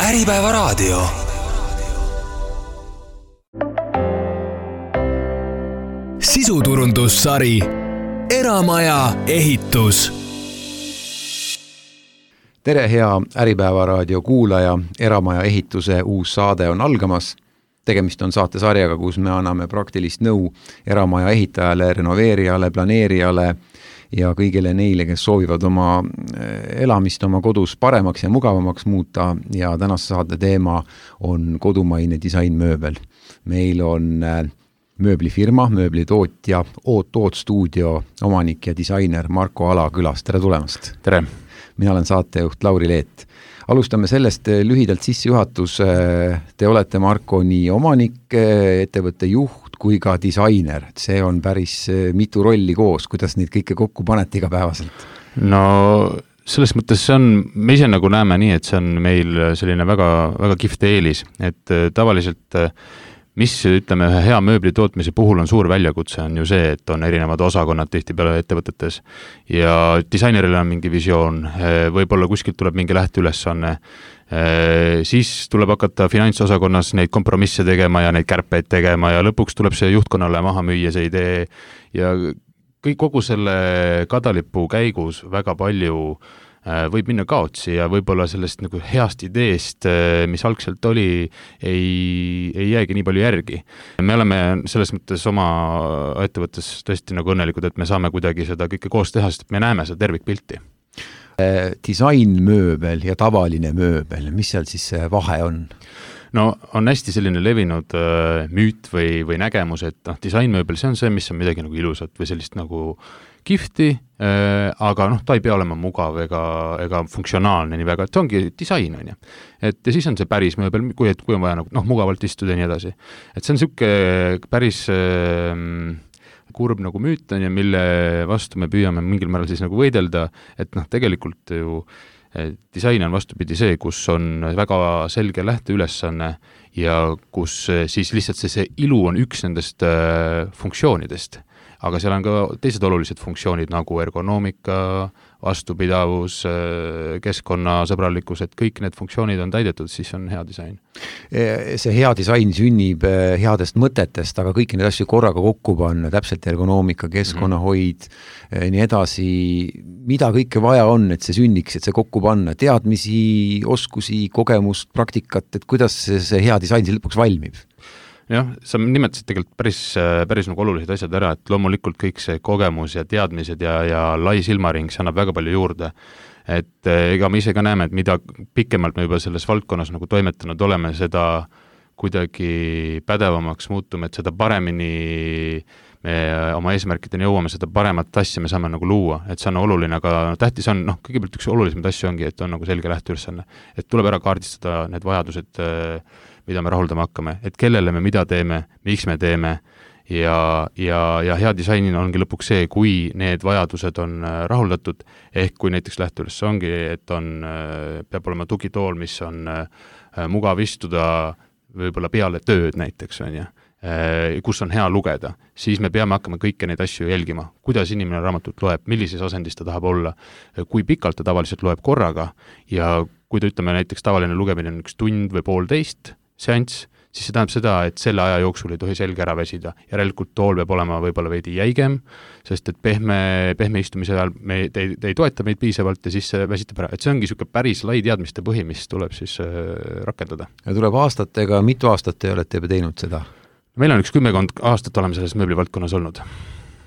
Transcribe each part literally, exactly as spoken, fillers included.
Äripäeva raadio. Sisuturundussari Eramaja ehitus. Tere, hea Äripäeva raadio kuulaja. Eramaja ehituse uus saade on algamas. Tegemist on saatesarjaga, kus me anname praktilist nõu eramaja ehitajale, renoveerijale, planeerijale ja kõigile neile, kes soovivad oma elamist oma kodus paremaks ja mugavamaks muuta. Ja tänase saate teema on kodumaine disainmööbel. Meil on mööblifirma, mööblitootja, Oot-Oot stuudio omanik ja disainer Marko Ala külas. Tere tulemast! Tere! Mina olen saatejuht Lauri Leet. Alustame sellest lühidalt sissejuhatus. Te olete, Marko, nii omanik, ettevõtte juht kui ka disainer. See on päris mitu rolli koos. Kuidas neid kõike kokku panete igapäevaselt? No selles mõttes see on, me ise nagu näeme nii, et see on meil selline väga, väga kihvt eelis. Et tavaliselt, mis ütleme ühe hea mööbli tootmise puhul on suur väljakutse, on ju see, et on erinevad osakonnad tihtipeale ettevõtetes ja disaineril on mingi visioon, võib-olla kuskilt tuleb mingi lähteülesanne, siis tuleb hakata finantsosakonnas neid kompromisse tegema ja neid kärpeid tegema ja lõpuks tuleb see juhtkonnale maha müüa see idee ja kõik kogu selle kadalipu käigus väga palju võib minna kaotsi ja võib-olla sellest nagu heast ideest, mis algselt oli, ei, ei jäägi nii palju järgi. Me oleme selles mõttes oma ettevõttes tõesti nagu õnnelikud, et me saame kuidagi seda kõike koos teha, sest me näeme seda tervikpilti. Disainmööbel ja tavaline mööbel, mis seal siis vahe on? No on hästi selline levinud äh, müüt või, või nägemus, et noh, disainmööbel, see on see, mis on midagi nagu ilusat või sellist nagu kihvti, äh, aga noh, ta ei pea olema mugav ega, ega funktsionaalne nii väga, et see ongi disain, on ju. Et ja siis on see päris mööbel, kui, et kui on vaja nagu, noh, mugavalt istuda ja nii edasi. Et see on siuke päris äh, kurb nagu müüt on ja mille vastu me püüame mingil määral siis nagu võidelda, et noh, tegelikult ju disain on vastupidi see, kus on väga selge lähteülesanne ja kus siis lihtsalt see, see ilu on üks nendest äh, funktsioonidest. Aga seal on ka teised olulised funktsioonid nagu ergonoomika, vastupidavus, keskkonnasõbralikkus, et kõik need funktsioonid on täidetud, siis on hea disain. See hea disain sünnib headest mõtetest, aga kõiki need asju korraga kokku panna, täpselt ergonoomika, keskkonnahoid, mm-hmm. nii edasi, mida kõike vaja on, et see sünniks, et see kokku panna, teadmisi, oskusi, kogemust, praktikat, et kuidas see hea disain lõpuks valmib? Jah, sa nimetasid tegelikult päris, päris nagu olulised asjad ära, et loomulikult kõik see kogemus ja teadmised ja, ja lai silmaring, see annab väga palju juurde. Et ega me ise ka näeme, et mida pikemalt me juba selles valdkonnas nagu toimetanud oleme, seda kuidagi pädevamaks muutume, et seda paremini me oma eesmärkideni jõuame, seda paremat asja me saame nagu luua, et see on oluline, aga tähtis on, noh, kõigepealt üks olulisemaid asju ongi, et on nagu selge lähteülesanne, et tuleb ära kaardistada need vajadused, mida me rahuldama hakkame, et kellele me mida teeme, miks me teeme ja, ja, ja hea disainina ongi lõpuks see, kui need vajadused on rahuldatud, ehk kui näiteks lähteüles ongi, et on, peab olema tugitool, mis on mugav istuda võib-olla peale tööd näiteks, on ju, kus on hea lugeda, siis me peame hakkama kõike neid asju jälgima, kuidas inimene raamatut loeb, millises asendis ta tahab olla, kui pikalt ta tavaliselt loeb korraga ja kui ta ütleme näiteks tavaline lugemine on üks tund või poolteist seanss, siis see tähendab seda, et selle aja jooksul ei tohi selge ära väsida. Järelikult tool peab olema võib-olla veidi jäigem, sest et pehme, pehme istumise ajal me, te, te ei toeta meid piisavalt ja siis väsitab ära. Et see ongi niisugune päris lai teadmiste põhi, mis tuleb siis äh, rakendada. Ja tuleb aastatega, mitu aastat te olete juba teinud seda? Meil on üks kümmekond aastat oleme selles mööblivaldkonnas olnud.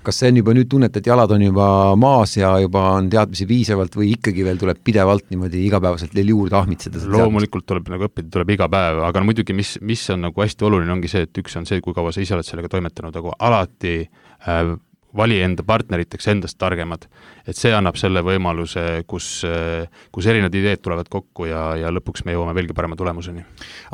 Kas see on juba nüüd tunnet, et jalad on juba maas ja juba on teadmisi piisavalt või ikkagi veel tuleb pidevalt niimoodi igapäevaselt veel juurde ahmitseda? Loomulikult tuleb nagu õppida, tuleb iga päev, aga muidugi mis, mis on nagu hästi oluline ongi see, et üks on see, kui kaua sa ise oled sellega toimetanud, aga alati äh, vali enda partneriteks endast targemad, et see annab selle võimaluse, kus, kus erinevad ideed tulevad kokku ja, ja lõpuks me jõuame veelgi parema tulemuseni.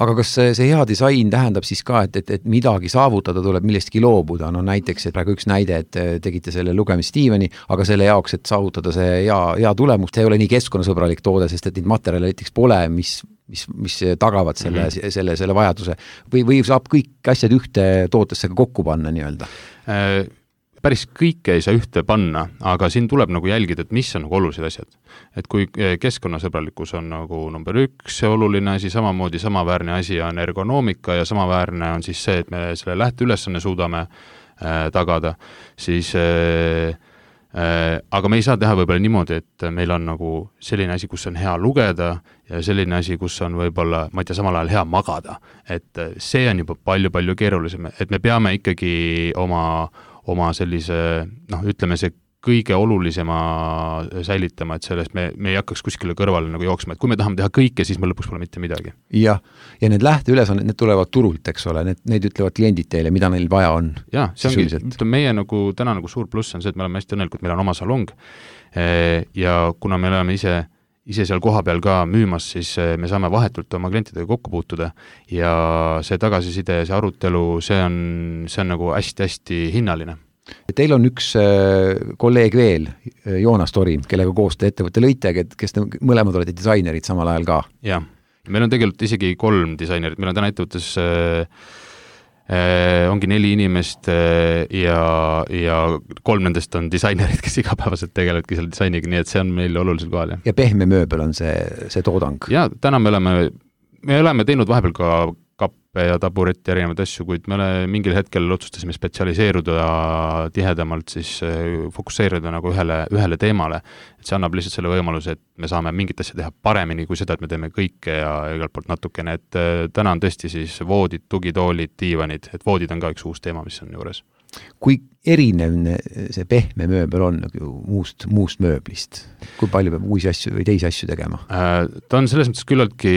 Aga kas see, see hea disain tähendab siis ka, et, et, et midagi saavutada tuleb millestki loobuda? No näiteks, et praegu üks näide, et tegite selle lugemis Steveni, aga selle jaoks, et saavutada see hea, hea tulemus, see ei ole nii keskkonnasõbralik toode, sest et neid materjale näiteks pole, mis, mis, mis tagavad selle, mm-hmm. selle, selle vajaduse või, või saab kõik asjad ühte tootesse kokku panna nii-öelda? Äh... päris kõike ei saa ühte panna, aga siin tuleb nagu jälgida, et mis on nagu olulised asjad. Et kui keskkonnasõbralikkus on nagu number üks oluline asi, samamoodi samaväärne asi on ergonoomika ja samaväärne on siis see, et me selle lähteülesanne suudame äh, tagada, siis äh, äh, aga me ei saa teha võib-olla niimoodi, et meil on nagu selline asi, kus on hea lugeda ja selline asi, kus on võib-olla, ma ei tea, samal ajal hea magada. Et see on juba palju-palju keerulisem, et me peame ikkagi oma oma sellise, noh, ütleme see kõige olulisema säilitama, et sellest me, me ei hakkaks kuskile kõrvale nagu jooksma, et kui me tahame teha kõike, siis me lõpuks pole mitte midagi. Jah, ja need lähteülesanded, need tulevad turult, eks ole, need, need ütlevad kliendid teile, mida neil vaja on. Jah, see ongi, meie nagu, täna nagu suur pluss on see, et me oleme hästi õnnelikult, meil on oma salong ja kuna me oleme ise ise seal koha peal ka müümas, siis me saame vahetult oma klientidega kokku puutuda ja see tagasiside, see arutelu, see on, see on nagu hästi-hästi hinnaline. Teil on üks kolleeg veel, Joonas Tori, kellega koos te ettevõtte lõite, kes te mõlemad olete disainerid samal ajal ka. Jah, meil on tegelikult isegi kolm disainerit, meil on täna ettevõttes äh, äh, ongi neli inimest äh, ja, ja kolm nendest on disainerid, kes igapäevaselt tegelevadki selle disainiga, nii et see on meil olulisel kohal. Ja pehme mööbel on see, see toodang? Ja täna me oleme, me oleme teinud vahepeal ka kappe ja taburetti erinevaid asju, kuid me oleme mingil hetkel otsustasime spetsialiseeruda tihedamalt, siis fokusseerida nagu ühele, ühele teemale. Et see annab lihtsalt selle võimaluse, et me saame mingit asja teha paremini kui seda, et me teeme kõike ja igalt poolt natukene. Et täna on tõesti siis voodid, tugitoolid, diivanid, et voodid on ka üks uus teema, mis on juures. Kui erinev see pehme mööbel on muust, muust mööblist? Kui palju peab uusi asju või teisi asju tegema? Ta on selles mõttes küllaltki,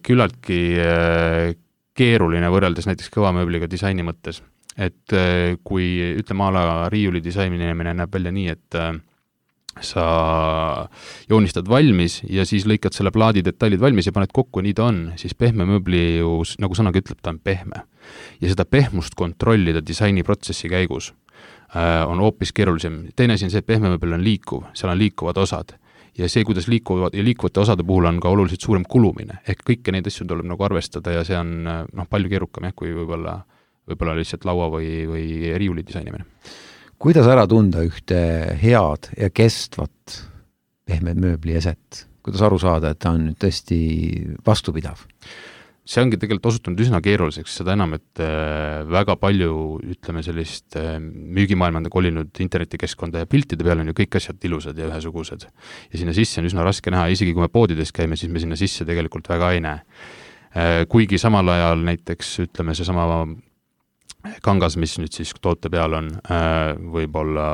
küllaltki keeruline võrreldes näiteks kõva mööbliga disaini mõttes. Et kui ütleme ala riiuli disainemine näeb välja nii, et sa joonistad valmis ja siis lõikad selle plaadi detailid valmis ja paned kokku, nii ta on, siis pehme mööbli ju, nagu sõnaga ütleb, ta on pehme. Ja seda pehmust kontrollida disainiprotsessi käigus äh, on hoopis keerulisem. Teine asi on see, et pehme mööbel on liikuv, seal on liikuvad osad. Ja see, kuidas liikuvad ja liikuvate osade puhul on ka oluliselt suurem kulumine. Ehk kõike neid asju tuleb nagu arvestada ja see on noh, palju keerukam, jah, kui võib-olla, võib-olla lihtsalt laua või, või riiuli disainimine. Kuidas ära tunda ühte head ja kestvat pehmed mööbli eset? Kuidas aru saada, et ta on tõesti vastupidav? See ongi tegelikult osutunud üsna keeruliseks, seda enam, et väga palju, ütleme, sellist müügimaailmanda kolinud internetikeskkonda ja piltide peal on ju kõik asjad ilusad ja ühesugused. Ja sinna sisse on üsna raske näha, isegi kui me poodides käime, siis me sinna sisse tegelikult väga ei näe. Kuigi samal ajal näiteks, ütleme, see sama kangas, mis nüüd siis toote peal on, võib-olla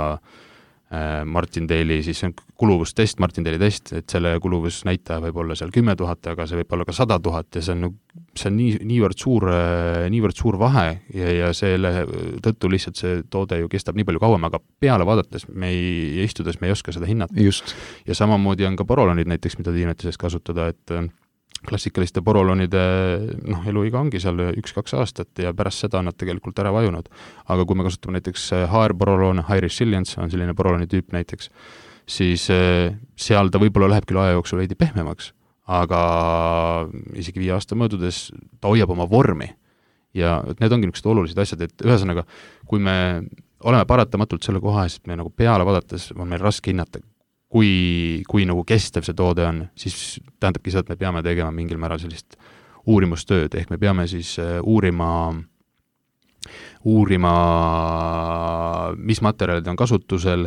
Martindale'i, siis on kuluvustest, Martindale'i test, et selle kuluvusnäitaja võib olla seal kümme tuhat, aga see võib olla ka sada tuhat ja see on, see on nii, niivõrd, suur, niivõrd suur vahe ja, ja selle tõttu lihtsalt see toode ju kestab nii palju kauem, aga peale vaadates me ei istudes, me ei oska seda hinnata. Just. Ja samamoodi on ka porolonid näiteks, mida tiinetises kasutada, et klassikaliste porolonide noh, eluiga ongi seal üks-kaks aastat ja pärast seda on nad tegelikult ära vajunud. Aga kui me kasutame näiteks H R-poroloon, High Resilience on selline poroloni tüüp näiteks, siis seal ta võib-olla läheb küll aja jooksul veidi pehmemaks, aga isegi viie aasta möödudes ta hoiab oma vormi. Ja need ongi niisugused olulised asjad, et ühesõnaga, kui me oleme paratamatult selle koha ees, et me nagu peale vaadates on meil raske hinnata, kui, kui nagu kestev see toode on, siis tähendabki seda, et me peame tegema mingil määral sellist uurimustööd, ehk me peame siis uurima, uurima, mis materjalid on kasutusel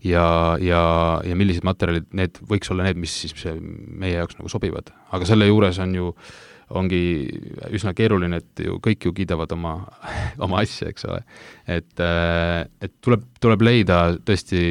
ja, ja, ja millised materjalid, need võiks olla need, mis siis meie jaoks nagu sobivad. Aga selle juures on ju, ongi üsna keeruline, et ju kõik ju kiidavad oma, oma asja, eks ole. Et, et tuleb, tuleb leida tõesti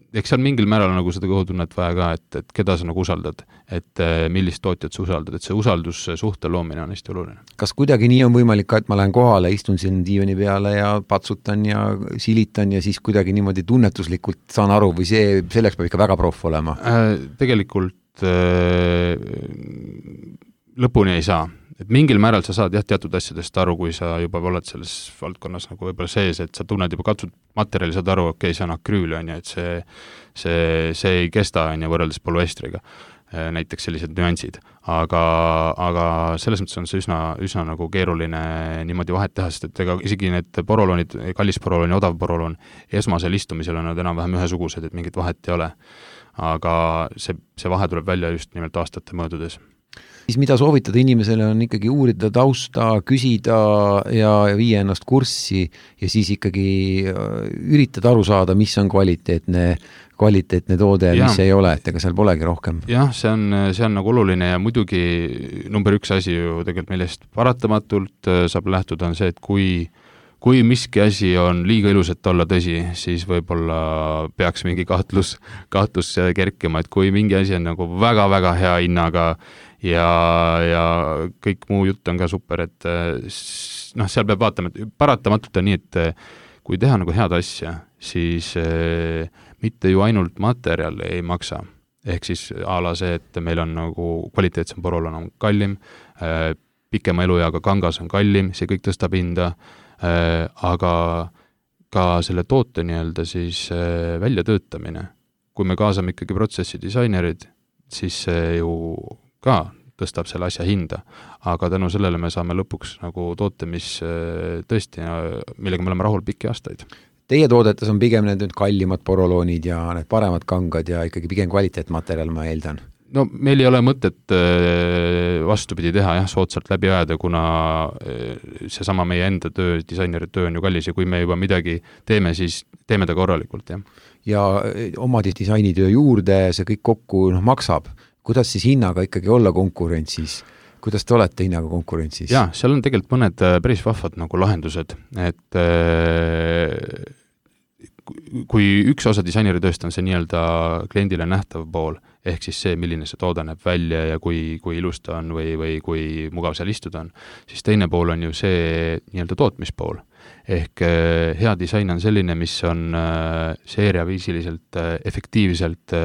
eks seal mingil määral nagu seda kõhutunnet vaja ka, et, et keda sa nagu usaldad, et millist tootjat sa usaldad, et see usaldussuhte loomine on hästi oluline. Kas kuidagi nii on võimalik ka, et ma lähen kohale, istun siin diivani peale ja patsutan ja silitan ja siis kuidagi niimoodi tunnetuslikult saan aru või see, selleks peab ikka väga proff olema? Äh, tegelikult äh, lõpuni ei saa. Et mingil määral sa saad jah, teatud asjadest aru, kui sa juba oled selles valdkonnas nagu võib-olla sees, et sa tunned juba katsud materjali, saad aru, okei, okay, see on akrüül, on ju, et see, see, see ei kesta on ju võrreldes polüestriga. näiteks sellised nüansid, aga, aga selles mõttes on see üsna, üsna nagu keeruline niimoodi vahet teha, sest et ega isegi need poroloonid, kallis poroloon ja odav poroloon, esmasel istumisel on nad enam-vähem ühesugused, et mingit vahet ei ole. Aga see, see vahe tuleb välja just nimelt aastate möödudes. Siis mida soovitada inimesele on ikkagi uurida tausta, küsida ja viia ennast kurssi ja siis ikkagi üritada aru saada, mis on kvaliteetne kvaliteetne toode ja mis ei ole, et ega seal polegi rohkem. Jah, see on, see on nagu oluline ja muidugi number üks asi ju tegelikult millest paratamatult saab lähtuda on see, et kui, kui miski asi on liiga ilus, et olla tõsi, siis võib-olla peaks mingi kahtlus, kahtlus kerkima, et kui mingi asi on nagu väga-väga hea hinnaga ja, ja kõik muu jutt on ka super, et noh, seal peab vaatama, et paratamatult on nii, et kui teha nagu head asja, siis eh, mitte ju ainult materjal ei maksa. Ehk siis ala see, et meil on nagu kvaliteetsem porolon on kallim, eh, pikema elueaga kangas on kallim, see kõik tõstab hinda, eh, aga ka selle toote nii-öelda siis eh, väljatöötamine. Kui me kaasame ikkagi protsessi disainerid, siis see ju ka tõstab selle asja hinda, aga tänu sellele me saame lõpuks nagu toote, mis tõesti, millega me oleme rahul pikki aastaid. Teie toodetes on pigem need nüüd kallimad poroloonid ja need paremad kangad ja ikkagi pigem kvaliteetmaterjal, ma eeldan. No meil ei ole mõtet vastupidi teha, jah, soodsalt läbi ajada, kuna seesama meie enda töö, disaineri töö on ju kallis ja kui me juba midagi teeme, siis teeme ta korralikult, jah. Ja oma disainitöö juurde see kõik kokku noh, maksab. Kuidas siis hinnaga ikkagi olla konkurentsis? Kuidas te olete hinnaga konkurentsis? Jaa, seal on tegelikult mõned päris vahvad nagu lahendused, et kui üks osa disaineri tööst on see nii-öelda kliendile nähtav pool, ehk siis see, milline see toode näeb välja ja kui, kui ilus ta on või, või kui mugav seal istuda on, siis teine pool on ju see nii-öelda tootmispool. Ehk hea disain on selline, mis on seeriaviisiliselt, efektiivselt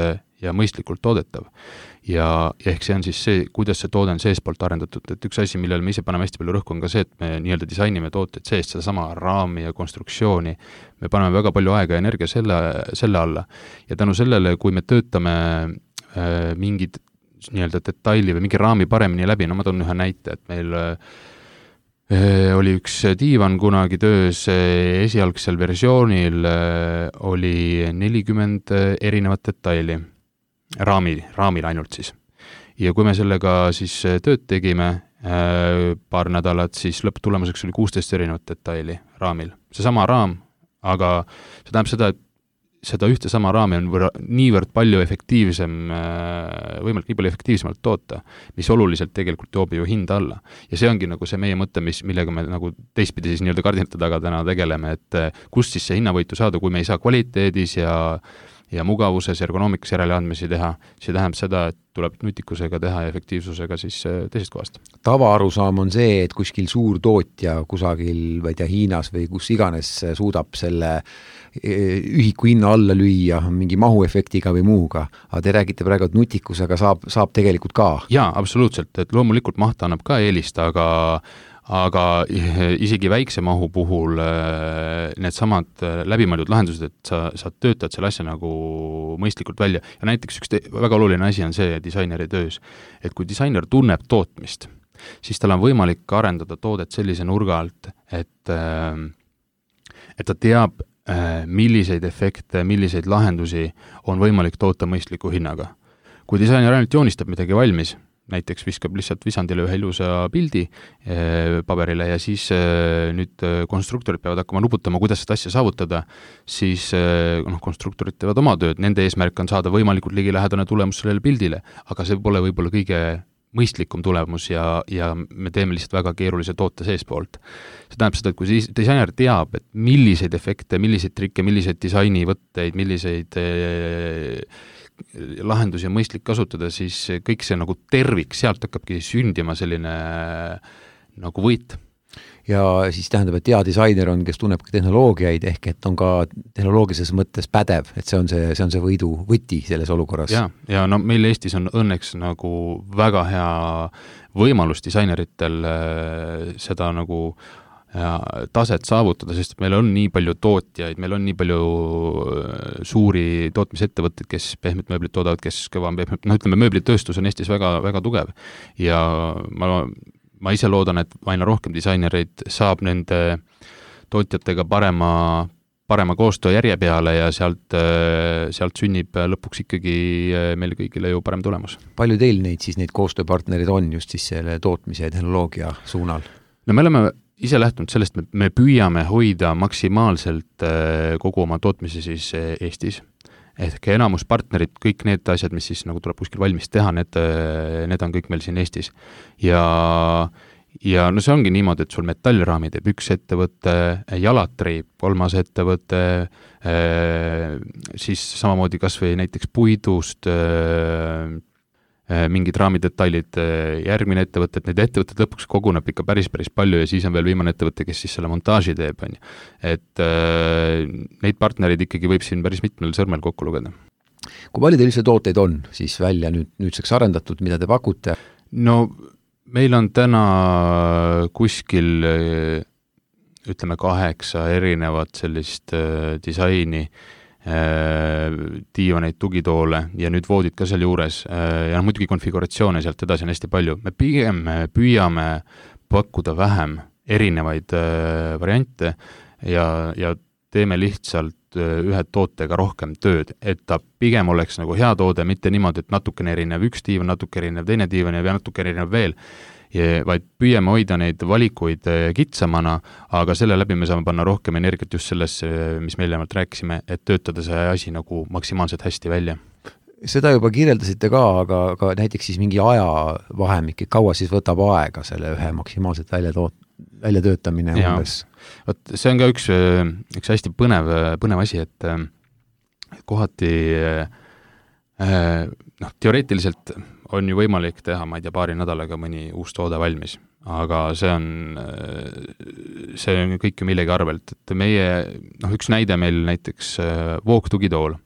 ja mõistlikult toodetav. Ja, ja ehk see on siis see, kuidas see toode on seespoolt arendatud, et üks asi, millele me ise paneme hästi palju rõhku on ka see, et me nii-öelda disainime tooted seest, seda sama raami ja konstruktsiooni, me paneme väga palju aega ja energia selle, selle alla ja tänu sellele, kui me töötame äh, mingid nii-öelda detaili või mingi raami paremini läbi, no ma toon ühe näite, et meil äh, oli üks diivan kunagi töös, esialgsel versioonil äh, oli nelikümmend erinevat detaili raami, raamil ainult siis. Ja kui me sellega siis tööd tegime äh, paar nädalat, siis lõpptulemuseks oli kuusteist erinevat detaili raamil. See sama raam, aga see tähendab seda, et seda ühte sama raami on võrra, niivõrd palju efektiivsem, äh, võimalik nii palju efektiivsemalt toota, mis oluliselt tegelikult toob ju hinda alla. Ja see ongi nagu see meie mõte, mis, millega me nagu teistpidi siis nii-öelda kardinate taga täna tegeleme, et äh, kust siis see hinnavõitu saada, kui me ei saa kvaliteedis ja ja mugavuses, ergonoomikas järeleandmisi teha, see tähendab seda, et tuleb nutikusega teha ja efektiivsusega siis teisest kohast. Tavaarusaam on see, et kuskil suur tootja kusagil või tea Hiinas või kus iganes suudab selle ühiku hinna alla lüüa mingi mahuefektiga või muuga, aga te räägite praegu, et nutikusega saab, saab tegelikult ka. Jaa, absoluutselt, et loomulikult maht annab ka eelist, aga aga isegi väikse mahu puhul need samad läbimõeldud lahendused, et sa, sa töötad selle asja nagu mõistlikult välja. Ja näiteks üks te, väga oluline asi on see disaineri töös, et kui disainer tunneb tootmist, siis tal on võimalik arendada toodet sellise nurga alt, et, et ta teab, milliseid efekte, milliseid lahendusi on võimalik toota mõistliku hinnaga. Kui disainer ainult joonistab midagi valmis, näiteks viskab lihtsalt visandile ühe ilusa pildi eh, paberile ja siis eh, nüüd konstruktorid peavad hakkama nuputama, kuidas seda asja saavutada, siis eh, noh, konstruktorid teevad oma tööd, nende eesmärk on saada võimalikult ligilähedane tulemus sellele pildile, aga see pole võib-olla kõige mõistlikum tulemus ja, ja me teeme lihtsalt väga keerulise toote seespoolt. See tähendab seda, et kui disainer teab, et milliseid efekte, milliseid trikke, milliseid disainivõtteid, milliseid eh, lahendusi on mõistlik kasutada, siis kõik see nagu tervik, sealt hakkabki sündima selline nagu võit. Ja siis tähendab, et hea disainer on, kes tunneb ka tehnoloogiaid, ehk et on ka tehnoloogilises mõttes pädev, et see on see, see on see võidu võti selles olukorras. Ja, ja no meil Eestis on õnneks nagu väga hea võimalus disaineritel seda nagu taset saavutada, sest meil on nii palju tootjaid, meil on nii palju suuri tootmisettevõtteid, kes pehmet mööblit toodavad, kes kõva on pehmet, noh ütleme, mööblitööstus on Eestis väga, väga tugev ja ma, ma ise loodan, et aina rohkem disainereid saab nende tootjatega parema parema koostöö järje peale ja sealt, sealt sünnib lõpuks ikkagi meile kõigile ju parem tulemus. Palju teil neid siis, neid koostööpartnerid on just siis selle tootmise ja tehnoloogia suunal? No me oleme ise lähtunud sellest, et me püüame hoida maksimaalselt kogu oma tootmise siis Eestis. Ehk enamus partnerid, kõik need asjad, mis siis nagu tuleb kuskil valmis teha, need, need on kõik meil siin Eestis. Ja Ja no see ongi niimoodi, et sul metallraami teeb üks ettevõte, jalatri kolmas ettevõte, siis samamoodi kas või näiteks puidust mingid raamidetailid, järgmine ettevõte, et neid ettevõtted lõpuks koguneb ikka päris, päris palju ja siis on veel viimane ettevõte, kes siis selle montaaži teeb. On. Et neid partnerid ikkagi võib siin päris mitmel sõrmel kokku lugeda. Kui palju teil üldse tooteid on siis välja nüüd, nüüdseks arendatud, mida te pakute? No meil on täna kuskil ütleme kaheksa erinevat sellist äh, disaini, äh, diivaneid, tugitoole ja nüüd voodid ka seal juures äh, ja muidugi konfiguratsioone sealt edasi on hästi palju. Me pigem püüame pakkuda vähem erinevaid äh, variante ja, ja teeme lihtsalt ühe tootega rohkem tööd, et ta pigem oleks nagu hea toode, mitte niimoodi, et natukene erinev üks diivan, natuke erinev teine diivan ja natuke erinev veel, ja, vaid püüame hoida neid valikuid kitsamana, aga selle läbi me saame panna rohkem energiat just sellesse, mis me eelnevalt rääkisime, et töötada see asi nagu maksimaalselt hästi välja. Seda juba kirjeldasite ka, aga, aga näiteks siis mingi ajavahemik, kaua siis võtab aega selle ühe maksimaalselt välja toot-, välja töötamine umbes. Võt, see on ka üks, üks hästi põnev, põnev asi, et kohati noh, teoreetiliselt on ju võimalik teha, ma ei tea, paari nädalaga mõni uus toode valmis, aga see on, see on kõik ju millegi arvelt, et meie, noh, üks näide meil näiteks voogtugitool,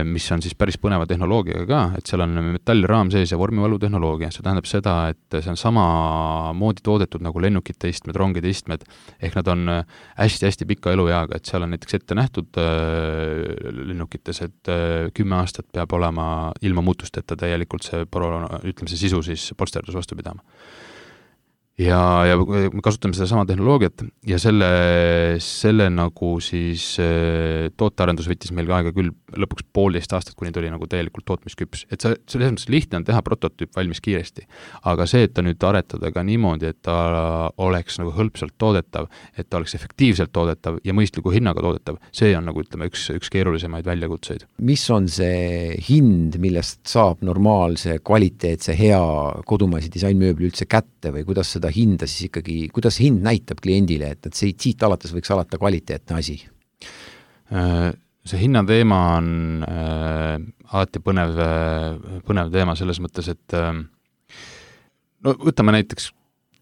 mis on siis päris põneva tehnoloogiaga ka, et seal on metallraam sees ja vormivalu tehnoloogia. See tähendab seda, et see on sama moodi toodetud nagu lennukite istmed, rongide istmed, ehk nad on hästi-hästi pika elueaga, et seal on näiteks ette nähtud lennukites, et kümme aastat peab olema ilma muutusteta täielikult see, ütleme see sisu siis polsterdus vastu pidama. Ja, ja me kasutame seda sama tehnoloogiat ja selle, selle nagu siis tootearendus võttis meil aega küll lõpuks poolteist aastat, kuni tuli nagu täielikult tootmisküps. Et see, selles mõttes lihtne on teha prototüüp valmis kiiresti, aga see, et ta nüüd aretada ka niimoodi, et ta oleks nagu hõlpsalt toodetav, et ta oleks efektiivselt toodetav ja mõistliku hinnaga toodetav, see on nagu ütleme üks, üks keerulisemaid väljakutseid. Mis on see hind, millest saab normaalse, kvaliteetse, hea kodumaise disainmööbli üldse kätte või kuidas seda hinda siis ikkagi, kuidas hind näitab kliendile, et, et see siit alates võiks alata kvaliteetne asi? See hinnateema on äh, alati põnev, põnev teema selles mõttes, et äh, no võtame näiteks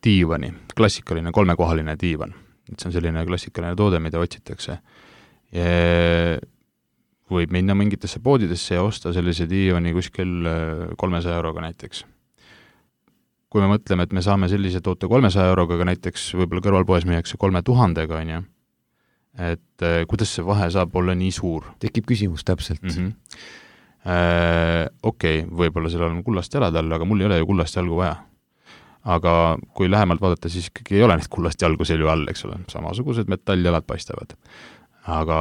diivani, klassikaline kolmekohaline diivan. Et see on selline klassikaline toode, mida otsitakse. Ja võib minna mingitesse poodidesse ja osta sellise diivani kuskil kolmesaja euroga näiteks. Kui me mõtleme, et me saame sellise toote kolmesaja euroga, aga näiteks võib-olla kõrvalpoes müüakse kolme tuhandega, on ju, et äh, kuidas see vahe saab olla nii suur? Tekib küsimus täpselt. Mm-hmm. Äh, Okei, okay, võib-olla seal on kullast jalad all, aga mul ei ole ju kullast jalgu vaja. Aga kui lähemalt vaadata, siis ikkagi ei ole neid kullast jalgu selju all, eks ole, samasugused metalljalad paistavad. Aga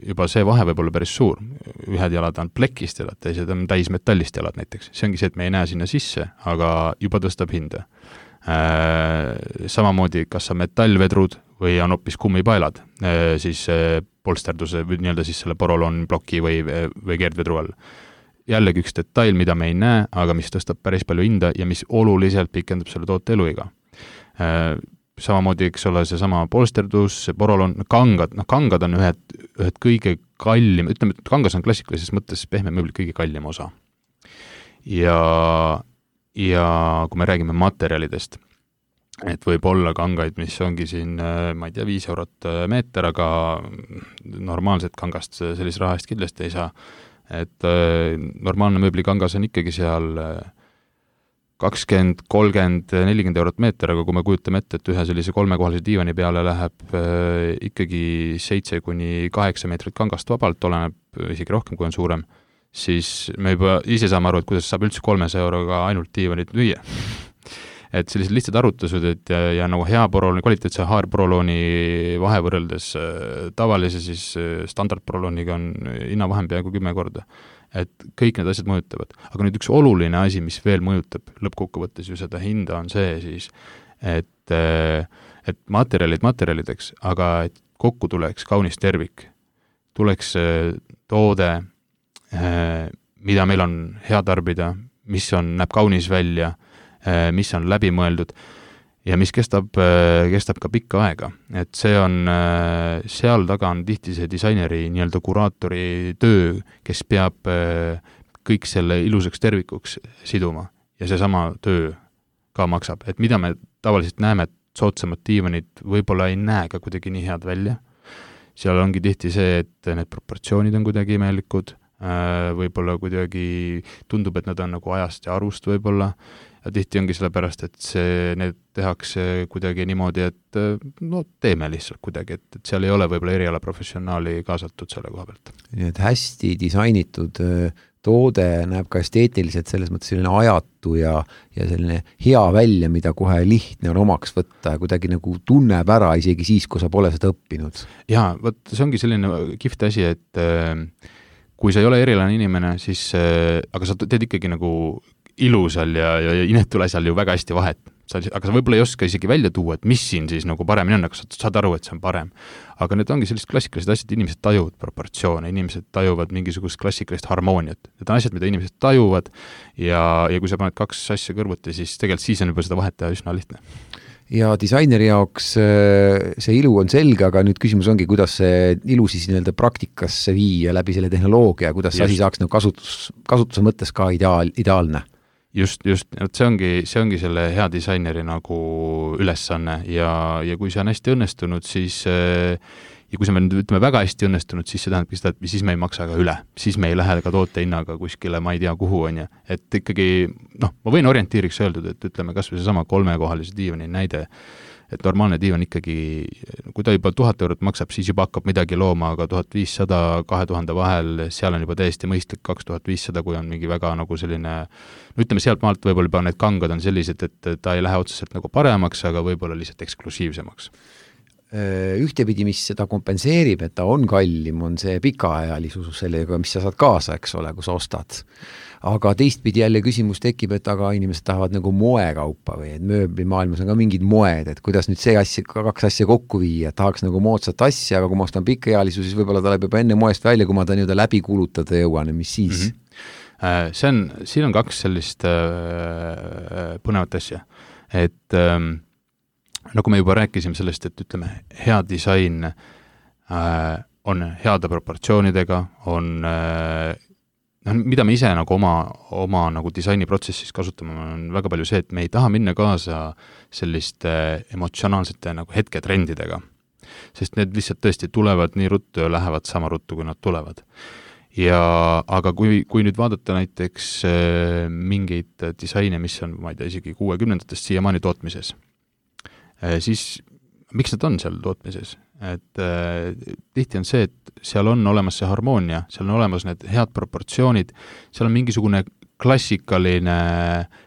juba see vahe võib olla päris suur. Ühed jalad on plekist jalad, teised on täis metallist jalad näiteks. See ongi see, et me ei näe sinna sisse, aga juba tõstab hinda. Äh, samamoodi, kas on metallvedrud või on hoopis kummipaelad, äh, siis äh, polsterduse või nii-öelda siis selle porolon ploki või, või keerdvedru all. Jällegi üks detail, mida me ei näe, aga mis tõstab päris palju hinda ja mis oluliselt pikendab selle toote eluiga. Äh, samamoodi, eks ole, see sama polsterdus, see porolon, kangad, noh kangad on ühed, ühed kõige kallim, ütleme, et kangas on klassikalises mõttes pehme mööbli kõige kallim osa. Ja, ja kui me räägime materjalidest, et võib olla kangaid, mis ongi siin, ma ei tea, viis eurot meeter, aga normaalset kangast sellise raha eest kindlasti ei saa. Et normaalne mööblikangas on ikkagi seal kakskümmend, kolmkümmend, nelikümmend eurot meeter, aga kui me kujutame ette, et ühe sellise kolmekohalise diivani peale läheb äh, ikkagi seitse kuni kaheksa meetrit kangast vabalt, oleneb isegi rohkem, kui on suurem, siis me juba ise saame aru, et kuidas saab üldse kolmesaja euroga ainult diivanit müüa. Et sellised lihtsad arutused, et ja, ja nagu hea porolooni, kvaliteetse H R porolooni vahe võrreldes äh, tavalise siis äh, standard porolooniga on hinna vahem peaaegu kümme korda. Et kõik need asjad mõjutavad. Aga nüüd üks oluline asi, mis veel mõjutab lõppkokkuvõttes ju seda hinda, on see siis, et, et materjalid materjalideks, aga et kokku tuleks kaunis tervik. Tuleks toode, mida meil on hea tarbida, mis on, näeb kaunis välja, mis on läbi mõeldud ja mis kestab, kestab ka pikka aega. Et see on, seal taga on tihti see disaineri nii-öelda kuraatori töö, kes peab kõik selle ilusaks tervikuks siduma ja see sama töö ka maksab. Et mida me tavaliselt näeme, et soodsamad diivanid võib-olla ei näe ka kuidagi nii head välja. Seal ongi tihti see, et need proportsioonid on kuidagi imelikud, võib-olla kuidagi tundub, et nad on nagu ajast ja arust võib-olla, ja tihti ongi sellepärast, et see, need tehakse kuidagi niimoodi, et no teeme lihtsalt kuidagi, et, et seal ei ole võib-olla eriala professionaali kaasatud selle koha pealt. Nii et hästi disainitud toode näeb ka esteetiliselt selles mõttes selline ajatu ja, ja selline hea välja, mida kohe lihtne on omaks võtta ja kuidagi nagu tunneb ära isegi siis, kui sa pole seda õppinud. Jaa, võt, see ongi selline kihvt asi, et kui sa ei ole erilane inimene, siis, aga sa teed ikkagi nagu ilusal ja, ja inetul asjal ju väga hästi vahet. Sa, aga sa võib-olla ei oska isegi välja tuua, et mis siin siis nagu paremini on, aga sa saad aru, et see on parem. Aga need ongi sellised klassikalised asjad, inimesed tajuvad proportsioone, inimesed tajuvad mingisugust klassikalist harmooniat. Need on asjad, mida inimesed tajuvad ja, ja kui sa paned kaks asja kõrvuti, siis tegelikult siis on juba seda vahet teha üsna lihtne. Ja disaineri jaoks see ilu on selge, aga nüüd küsimus ongi, kuidas see ilu siis nii-öelda praktikasse viia läbi selle tehnoloogia, kuidas see asi saaks nagu kasutus, kasutuse mõttes ka ideaal, ideaalne. Just, just, see ongi, see ongi selle hea disaineri nagu ülesanne ja, ja kui see on hästi õnnestunud, siis ja kui see on ütleme väga hästi õnnestunud, siis see tähendab seda, et siis me ei maksa ka üle, siis me ei lähe ka toote hinnaga kuskile, ma ei tea kuhu on ja, et ikkagi, noh, ma võin orientiiriks öeldud, et ütleme kas või see sama kolmekohalise diivani näide, et normaalne diivan ikkagi, kui ta juba tuhat eurot maksab, siis juba hakkab midagi looma, aga tuhat viissada, kahe tuhande vahel, seal on juba täiesti mõistlik kaks tuhat viissada, kui on mingi väga nagu selline, no ütleme sealt maalt võib-olla juba need kangad on sellised, et ta ei lähe otseselt nagu paremaks, aga võib-olla lihtsalt eksklusiivsemaks. Ühtepidi, mis seda kompenseerib, et ta on kallim, on see pikaajalisus sellega, mis sa saad kaasa, eks ole, kui sa ostad. Aga teistpidi jälle küsimus tekib, et aga inimesed tahavad nagu moekaupa või et mööblimaailmas on ka mingid moed, et kuidas nüüd see asja, kaks asja kokku viia, et tahaks nagu moodsat asja, aga kui ma ostan pikaealisu, siis võib-olla ta läheb juba enne moest välja, kui ma ta nii-öelda läbi kulutada jõuan, mis siis? Mm-hmm. See on, siin on kaks sellist äh, põnevat asja, et ähm, nagu me juba rääkisime sellest, et ütleme, hea disain äh, on heade proportsioonidega, on äh, no, mida me ise nagu oma, oma nagu disainiprotsessis kasutame, on väga palju see, et me ei taha minna kaasa selliste emotsionaalsete nagu hetketrendidega, sest need lihtsalt tõesti tulevad nii ruttu ja lähevad sama ruttu, kui nad tulevad. Ja, aga kui, kui nüüd vaadata näiteks äh, mingeid disaine, mis on, ma ei tea, isegi kuuekümnendatest siiamaani tootmises, äh, siis miks nad on seal tootmises? Et äh, tihti on see, et seal on olemas see harmoonia, seal on olemas need head proportsioonid, seal on mingisugune klassikaline,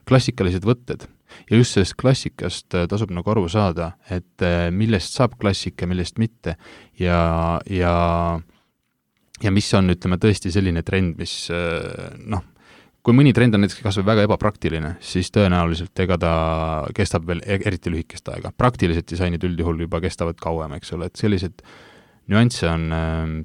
klassikalised võtted. Ja just sellest klassikast tasub nagu aru saada, et äh, millest saab klassika, millest mitte. Ja, ja, ja mis on, ütleme, tõesti selline trend, mis äh, noh, kui mõni trend on näiteks kas või väga ebapraktiline, siis tõenäoliselt ega ta kestab veel eriti lühikest aega. Praktilised disainid üldjuhul juba kestavad kauem, eks ole, et sellised nüansse on, äh,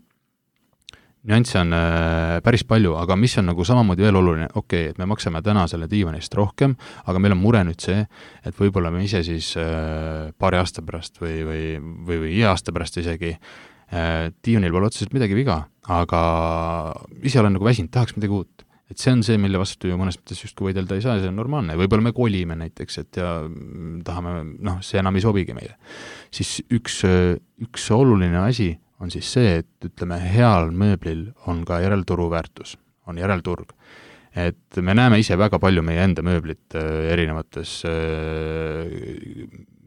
nüansse on äh, päris palju, aga mis on nagu samamoodi veel oluline, okei, okay, et me maksame täna selle diivanist rohkem, aga meil on mure nüüd see, et võib-olla me ise siis äh, paari aasta pärast või, või, või, või iga aasta pärast isegi äh, diivanil pole otseselt midagi viga, aga ise olen nagu väsinud, tahaks midagi uut. Et see on see, mille vastu ju mõnes mõttes just kui võidelda ei saa, see on normaalne. Võib-olla me kolime näiteks, et ja tahame, noh, see enam ei sobigi meile. Siis üks, üks oluline asi on siis see, et ütleme, heal mööblil on ka järelturu väärtus, on järelturg. et me näeme ise väga palju meie enda mööblit erinevates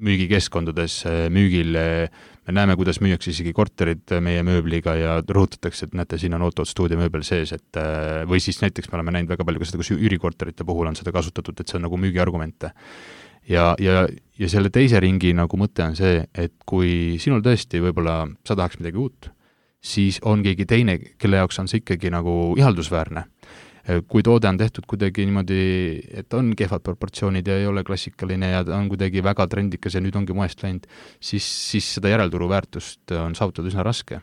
müügikeskkondades müügil, me näeme, kuidas müüakse isegi korterid meie mööbliga ja rõhutatakse, et näete, siin on Otto stuudio mööbel sees, et või siis näiteks me oleme näinud väga palju ka seda, kus üürikorterite puhul on seda kasutatud, et see on nagu müügiargumente. Ja, ja, ja selle teise ringi nagu mõte on see, et kui sinul tõesti võib-olla sa tahaks midagi uut, siis on keegi teine, kelle jaoks on see ikkagi nagu ihaldusväärne. Kui toode on tehtud kuidagi niimoodi, et on kehvad proportsioonid ja ei ole klassikaline ja on kuidagi väga trendikas ja nüüd ongi moest läinud, siis, siis seda järelturu väärtust on saavutada üsna raske.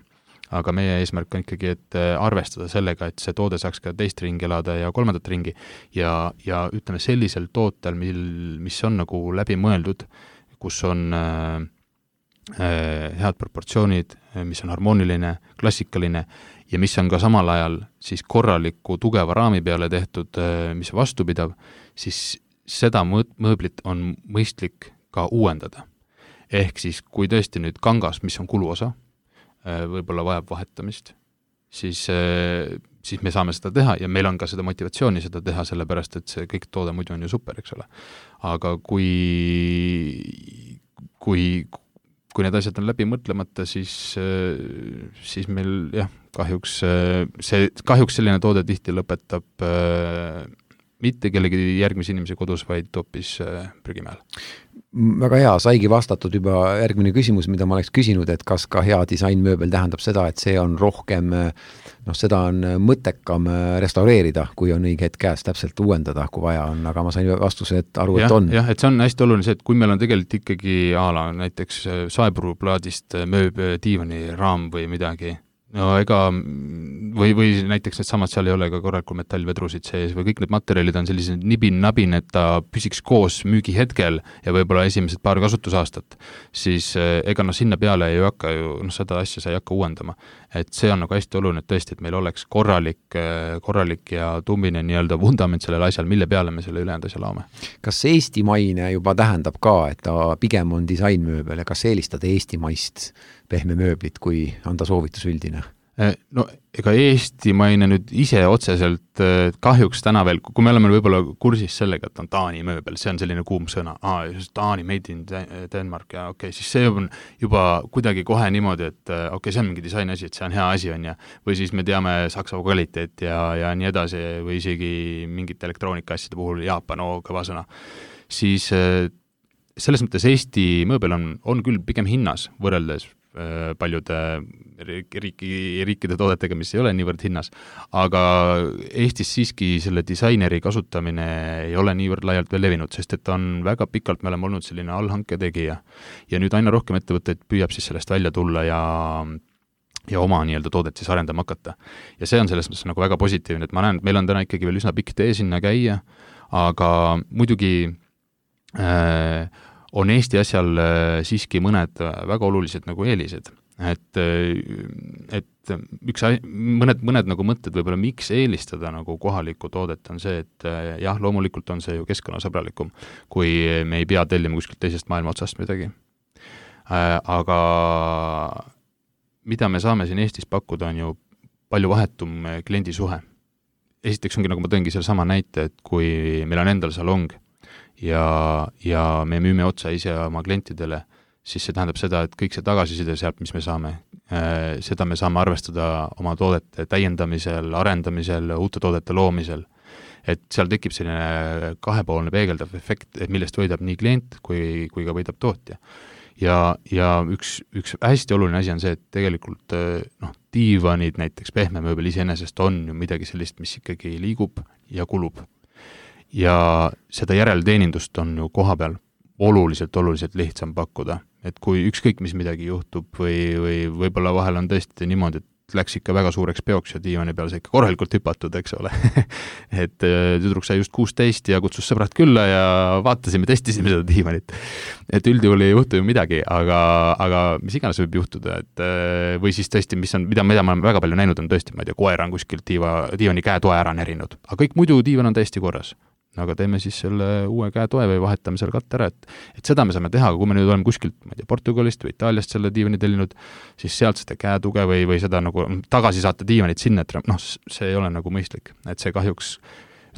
Aga meie eesmärk on ikkagi, et arvestada sellega, et see toode saaks ka teist ringi elada ja kolmandat ringi ja, ja ütleme sellisel tootel, mil, mis on nagu läbi mõeldud, kus on äh, head proportsioonid, mis on harmooniline, klassikaline ja mis on ka samal ajal siis korraliku tugeva raami peale tehtud, mis vastupidav, siis seda mööblit on mõistlik ka uuendada. Ehk siis, kui tõesti nüüd kangas, mis on kuluosa, võib-olla vajab vahetamist, siis, siis me saame seda teha ja meil on ka seda motivatsiooni seda teha, sellepärast, et see kõik toode muidu on ju super, eks ole. Aga kui, kui kui need asjad on läbi mõtlemata, siis, siis meil jah, kahjuks, see, kahjuks selline toode tihti lõpetab äh, mitte kellegi järgmise inimese kodus, vaid hoopis äh, prügimäel. Väga hea, saigi vastatud juba järgmine küsimus, mida ma oleks küsinud, et kas ka hea disainmööbel tähendab seda, et see on rohkem, noh, seda on mõttekam restaureerida, kui on õige hetk käes täpselt uuendada, kui vaja on, aga ma sain vastuse, et aru, ja, et on. Jah, et see on hästi oluline see, et kui meil on tegelikult ikkagi ala, näiteks saepuruplaadist mööb diivani raam või midagi, no ega, või, või näiteks need samad, seal ei ole ka korralikul metallvedrusid sees või kõik need materjalid on sellised nibin-nabin, et ta püsiks koos müügi hetkel ja võib-olla esimesed paar kasutusaastat, siis ega no sinna peale ei hakka ju, noh seda asja sa ei hakka uuendama. Et see on nagu hästi oluline, et tõesti, et meil oleks korralik, korralik ja tummine nii-öelda vundament sellel asjal, mille peale me selle ülejäänud asja laome. Kas eestimaine juba tähendab ka, et ta pigem on disainmööbel ja kas eelistada eestimaist pehme mööblit, kui anda soovitus üldine? No ega eestimaine nüüd ise otseselt kahjuks täna veel, kui me oleme võib-olla kursis sellega, et on Taani mööbel, see on selline kuum sõna, Aa, Taani made in Denmark ja okei, okay, siis see on juba kuidagi kohe niimoodi, et okei, okay, see on mingi disaini asi, et see on hea asi on ja või siis me teame Saksa kvaliteet ja, ja nii edasi või isegi mingite elektroonika asjade puhul Jaapan, oo, kõva sõna, siis selles mõttes Eesti mööbel on, on küll pigem hinnas võrreldes paljude riiki, riikide toodetega, mis ei ole niivõrd hinnas, aga Eestis siiski selle disaineri kasutamine ei ole niivõrd laialt veel levinud, sest et on väga pikalt, me oleme olnud selline allhanke tegija ja nüüd aina rohkem ettevõtteid püüab siis sellest välja tulla ja ja oma nii-öelda toodet siis arendama hakata. Ja see on selles mõttes nagu väga positiivne, et ma näen, et meil on täna ikkagi veel üsna pikk tee sinna käia, aga muidugi äh, on Eesti asjal siiski mõned väga olulised nagu eelised, et, et üks, mõned, mõned nagu mõtted võib-olla miks eelistada nagu kohalikku toodet on see, et jah, loomulikult on see ju keskkonnasõbralikum, kui me ei pea tellima kuskilt teisest maailma otsast midagi. Aga mida me saame siin Eestis pakkuda on ju palju vahetum kliendisuhe. Esiteks ongi, nagu ma tõingi selle sama näite, et kui meil on endal salong, ja, ja me müüme otsa ise oma klientidele, siis see tähendab seda, et kõik see tagasiside sealt, mis me saame, seda me saame arvestada oma toodete täiendamisel, arendamisel, uute toodete loomisel. Et seal tekib selline kahepoolne peegeldav efekt, millest võidab nii klient kui, kui ka võidab tootja. Ja, ja üks, üks hästi oluline asi on see, et tegelikult noh, diivanid näiteks pehme mööbel iseenesest on ju midagi sellist, mis ikkagi liigub ja kulub. Ja seda järelteenindust on ju koha peal oluliselt, oluliselt lihtsam pakkuda. Et kui ükskõik mis midagi juhtub või, või võib-olla vahel on tõesti niimoodi, et läks ikka väga suureks peoks ja diivani peal see ikka korralikult hüpatud, eks ole. et tüdruk sai just kuusteist ja kutsus sõbrad külla ja vaatasime, testisime seda diivanit. Et üldjuhul ei juhtu ju midagi, aga, aga mis iganes võib juhtuda, et või siis tõesti, mis on, mida, mida ma olen väga palju näinud, on tõesti, ma ei tea, koer on kuskilt diiva, diivani käetoe ära nerinud, aga kõik muidu diivan on täiesti korras. Aga teeme siis selle uue käetoe või vahetame selle katte ära, et, et seda me saame teha, aga kui me nüüd oleme kuskilt, ma ei tea, Portugalist või Itaaliast selle diivani tellinud, siis sealt seda käetuge või, või seda nagu tagasi saata diivanit sinna, et noh, see ei ole nagu mõistlik, et see kahjuks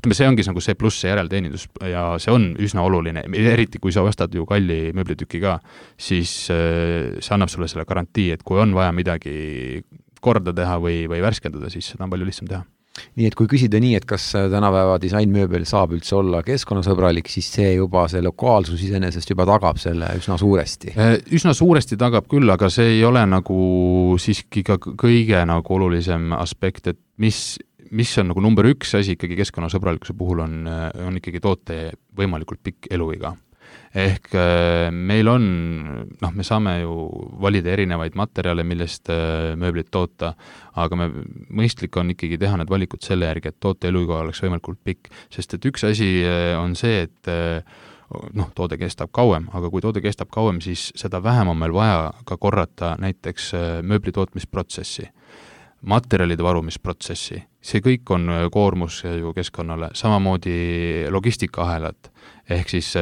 ütleme, see ongi nagu see pluss, see järelteenindus ja see on üsna oluline, eriti kui sa ostad ju kalli mööblitüki ka, siis see annab sulle selle garantii, et kui on vaja midagi korda teha või, või värskendada, siis seda on palju lihtsam teha. Nii et kui küsida nii, et kas tänapäeva disainmööbel saab üldse olla keskkonnasõbralik, siis see juba, see lokaalsus iseenesest juba tagab selle üsna suuresti. Üsna suuresti tagab küll, aga see ei ole nagu siiski ka kõige nagu olulisem aspekt, et mis, mis on nagu number üks asi ikkagi keskkonnasõbralikkuse puhul on, on ikkagi toote võimalikult pikk eluiga. Ehk meil on, noh, me saame ju valida erinevaid materjale, millest mööblit toota, aga me, mõistlik on ikkagi teha need valikud selle järgi, et toote eluiga oleks võimalikult pikk, sest et üks asi on see, et noh, toode kestab kauem, aga kui toode kestab kauem, siis seda vähem on meil vaja ka korrata näiteks mööbli tootmisprotsessi, materjalide varumisprotsessi, see kõik on koormus ju keskkonnale, samamoodi logistikaahelad, ehk siis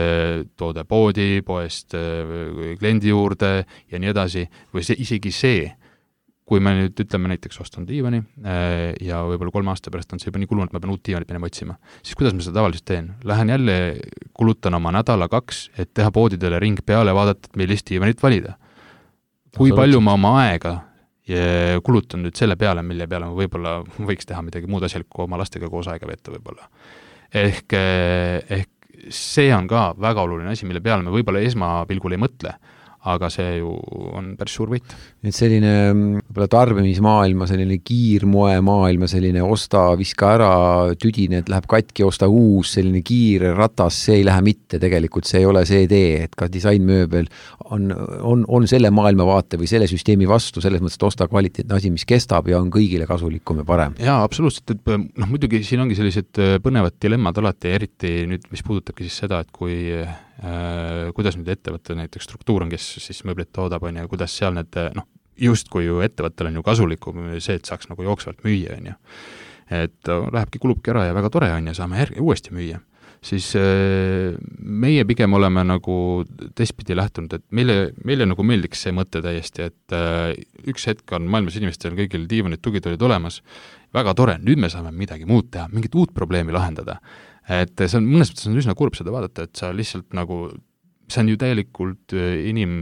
toode poodi, poest kliendi juurde ja nii edasi, või see, isegi see, kui me nüüd ütleme näiteks ostan diivani ja võib-olla kolme aasta pärast on see juba nii kulunud, ma pean uut diivanit minema otsima, siis kuidas ma seda tavaliselt teen? Lähen jälle, kulutan oma nädala kaks, et teha poodidele ring peale, vaadata, et millist diivanit valida. Kui palju ma oma aega ja kulutan nüüd selle peale, mille peale ma võib-olla võiks teha midagi muud asjalikku oma lastega koos aega vetta võib-olla. Ehk, ehk see on ka väga oluline asi, mille peale me võib-olla esmapilgul ei mõtle, aga see ju on päris suur võit. Et selline võib-olla tarbimismaailma, selline kiirmoe maailma, selline osta, viska ära, tüdine, et läheb katki, osta uus, selline kiire ratas, see ei lähe mitte, tegelikult see ei ole see tee, et ka disainmööbel on, on, on selle maailmavaate või selle süsteemi vastu, selles mõttes, et osta kvaliteetne asi, mis kestab ja on kõigile kasulikum ja parem. Jaa, absoluutselt, et noh, muidugi siin ongi sellised põnevad dilemmad alati, eriti nüüd, mis puudutabki siis seda, et kui äh, kuidas nüüd ettevõtte näiteks struktuur on, kes siis mööblit toodab, on ja kuidas seal need, noh, just kui ju ettevõttel on ju kasulikum see, et saaks nagu jooksvalt müüa, on ju. Et lähebki, kulubki ära ja väga tore on ja saame järgi uuesti müüa. Siis äh, meie pigem oleme nagu teistpidi lähtunud, et meile, meile nagu meeldiks see mõte täiesti, et äh, üks hetk on maailmas inimestel kõigil diivanid, tugitolid olemas, väga tore, nüüd me saame midagi muud teha, mingit uut probleemi lahendada. Et see on, mõnes mõttes on üsna kurb seda vaadata, et sa lihtsalt nagu see on ju täielikult inim,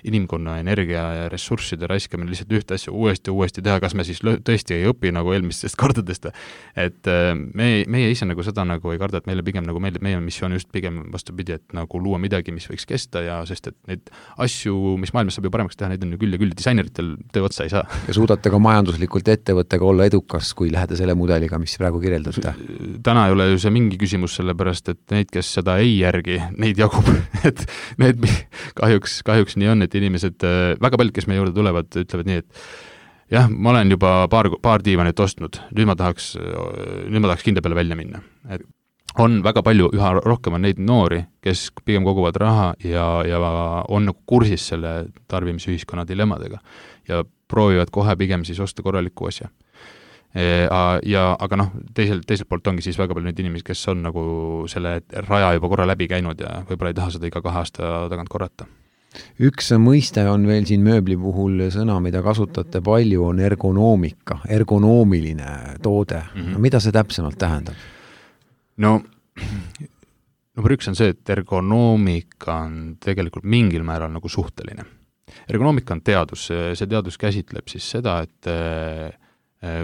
inimkonna energia ja ressursside raiskamine lihtsalt ühte asja uuesti uuesti teha, kas me siis tõesti ei õpi nagu eelmistest kordadest. Et me, meie ise nagu seda nagu ei karda, et meile pigem nagu meeldib, meie missioon just pigem vastupidi, et nagu luua midagi, mis võiks kesta ja sest, et neid asju, mis maailmas saab ju paremaks teha, neid on ju küll ja küll, disaineritel töö otsa ei saa. Ja suudate ka majanduslikult ettevõttega olla edukas, kui lähete selle mudeliga, mis praegu kirjeldate? Täna ei ole ju see mingi küsimus sellepärast, et neid, kes seda ei järgi, neid jagub, et need kahjuks, kahjuks nii on, et inimesed, väga paljud, kes meie juurde tulevad, ütlevad nii, et jah, ma olen juba paar, paar diivanit ostnud, nüüd ma tahaks, nüüd ma tahaks kinda peale välja minna. Et on väga palju, üha rohkem on neid noori, kes pigem koguvad raha ja, ja on nagu kursis selle tarbimisühiskonna dilemmadega ja proovivad kohe pigem siis osta korraliku asja. Ja, aga noh, teiselt, teiselt poolt ongi siis väga palju neid inimesi, kes on nagu selle raja juba korra läbi käinud ja võib-olla ei taha seda iga kahe aasta tagant korrata. Üks mõiste on veel siin mööbli puhul sõna, mida kasutate palju, on ergonoomika, ergonoomiline toode. Mm-hmm. Mida see täpsemalt tähendab? No, number üks on see, et ergonoomika on tegelikult mingil määral nagu suhteline. Ergonoomika on teadus, see teadus käsitleb siis seda, et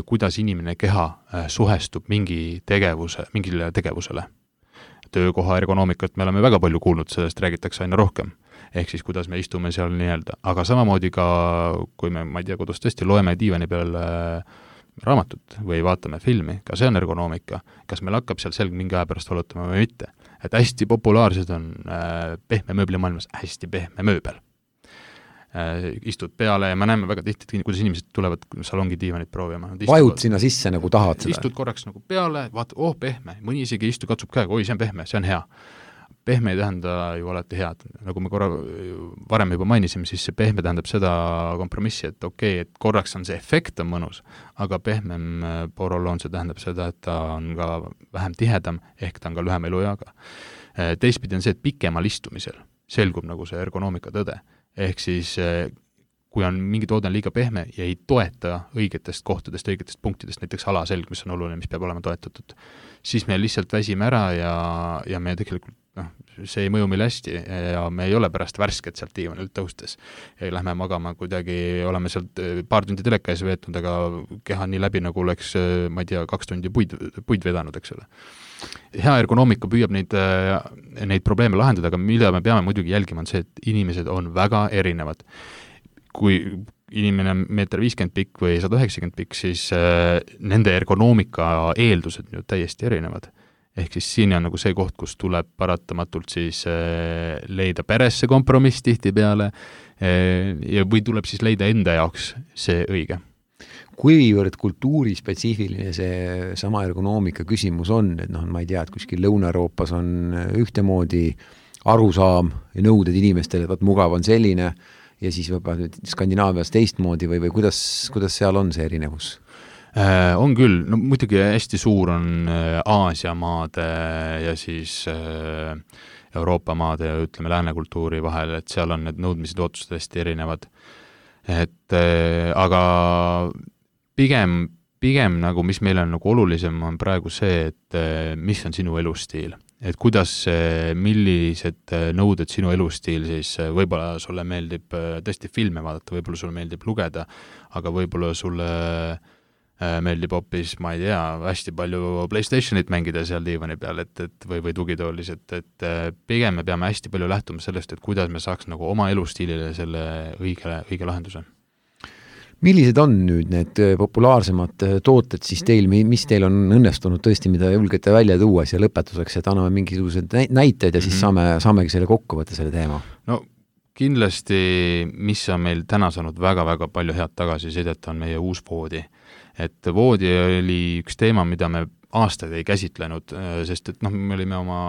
kuidas inimene keha suhestub mingi tegevuse, mingile tegevusele. Töökoha ergonoomikat me oleme väga palju kuulnud, sellest räägitakse aina rohkem. Ehk siis, kuidas me istume seal nii-öelda. Aga samamoodi ka, kui me, ma ei tea, kodus tõesti loeme diivani peal raamatut või vaatame filmi, ka see on ergonoomika. Kas meil hakkab seal selg mingi aja pärast valutama või mitte. Et hästi populaarsed on pehme mööbli maailmas hästi pehme mööbel. Istud peale ja me näeme väga tihti, kuidas inimesed tulevad salongi diivanit proovima. Vajud sinna sisse nagu tahad seda. Istud korraks nagu peale, vaata, oh pehme, mõni isegi istu, katsub käega, oi, see on pehme, see on hea. Pehme ei tähenda ju alati head. Nagu me korra varem juba mainisime, siis see pehme tähendab seda kompromissi, et okei, okay, et korraks on see efekt on mõnus, aga pehmem poroloon see tähendab seda, et ta on ka vähem tihedam, ehk ta on ka lühem elujaga. Teistpidi on see, et pikemal istumisel selgub nagu see ergonoomika tõde. Ehk siis kui on mingi toode on liiga pehme ja ei toeta õigetest kohtadest, õigetest punktidest, näiteks alaselg, mis on oluline, mis peab olema toetatud, siis me lihtsalt väsime ära ja, ja me tegelikult, noh, see ei mõju meil hästi ja me ei ole pärast värsked sealt diivanilt tõustes. Ja lähme magama kuidagi, oleme sealt paar tundi teleka ees veetnud, aga keha nii läbi, nagu oleks, ma ei tea, kaks tundi puid, puid vedanud, eks ole. Hea ergonoomika püüab neid, neid probleeme lahendada, aga mida me peame muidugi jälgima, on see, et inimesed on väga erinevad. Kui inimene on meeter viiskümmend pikk või sada üheksakümmend pikk, siis äh, nende ergonoomika eeldused ju täiesti erinevad. Ehk siis siin on nagu see koht, kus tuleb paratamatult siis äh, leida peresse kompromiss tihti peale äh, ja või tuleb siis leida enda jaoks see õige. Kuivõrd kultuurispetsiifiline see sama ergonoomika küsimus on, et noh, ma ei tea, et kuskil Lõuna-Euroopas on ühtemoodi arusaam ja nõuded inimestele, et vaat mugav on selline ja siis võib-olla Skandinaavias teistmoodi või, või kuidas, kuidas seal on see erinevus? Äh, on küll, no muidugi hästi suur on Aasia maade ja siis äh, Euroopa maade ja ütleme läänekultuuri vahel, et seal on need nõudmised ootused hästi erinevad. Et äh, aga pigem, pigem nagu, mis meil on nagu olulisem, on praegu see, et äh, mis on sinu elustiil. Et kuidas, millised nõuded sinu elustiil siis, võib-olla sulle meeldib tõesti filme vaadata, võib-olla sulle meeldib lugeda, aga võib-olla sulle meeldib hoopis, ma ei tea, hästi palju PlayStationit mängida seal diivani peal, et, et või, või tugitoolis, et, et pigem me peame hästi palju lähtuma sellest, et kuidas me saaks nagu oma elustiilile selle õige, õige lahenduse. Millised on nüüd need populaarsemad tooted siis teil, mis teil on õnnestunud tõesti, mida julgete välja tuua ja lõpetuseks, et anname mingisugused näited ja siis mm-hmm. saame, saamegi selle kokku võtta selle teema? No kindlasti, mis on meil täna saanud väga-väga palju head tagasisidet, on meie uus voodi. Et voodi oli üks teema, mida me aastaid ei käsitlenud, sest et noh, me olime oma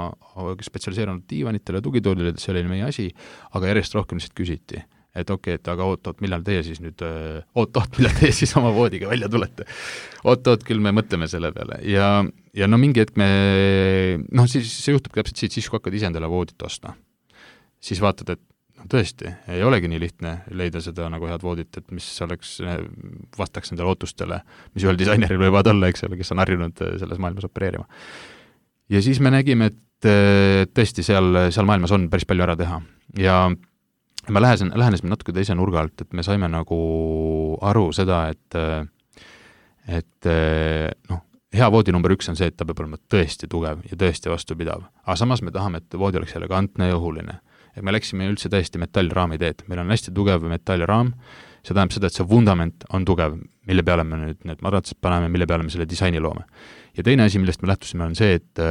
spetsialiseerunud diivanitele ja tugitoolile, see oli meie asi, aga järjest rohkem lihtsalt küsiti. Et okei, okay, et aga oot-oot, millal teie siis nüüd, oot-oot, millal teie siis oma voodiga välja tulete. Oot-oot, küll me mõtleme selle peale. Ja, ja no mingi hetk me, noh, siis see juhtub täpselt siit, siis kui hakkad ise endale voodit ostma. Siis vaatad, et no, tõesti, ei olegi nii lihtne leida seda nagu head voodit, et mis oleks, vastaks endale ootustele, mis ühel disaineril võivad olla, eks ole, kes on harjunud selles maailmas opereerima. Ja siis me nägime, et tõesti seal, seal maailmas on päris palju ära teha. Ja ma lähesen, lähenesime natuke teise nurga alt, et me saime nagu aru seda, et, et noh, hea voodi number üks on see, et ta peab olema tõesti tugev ja tõesti vastupidav. Aga samas me tahame, et voodi oleks elegantne ja õhuline. Et me läksime üldse täiesti metallraami teed. Meil on hästi tugev metallraam. See tähendab seda, et see vundament on tugev, mille peale me nüüd need madratsed paneme, mille peale me selle disaini loome. Ja teine asi, millest me lähtusime, on see, et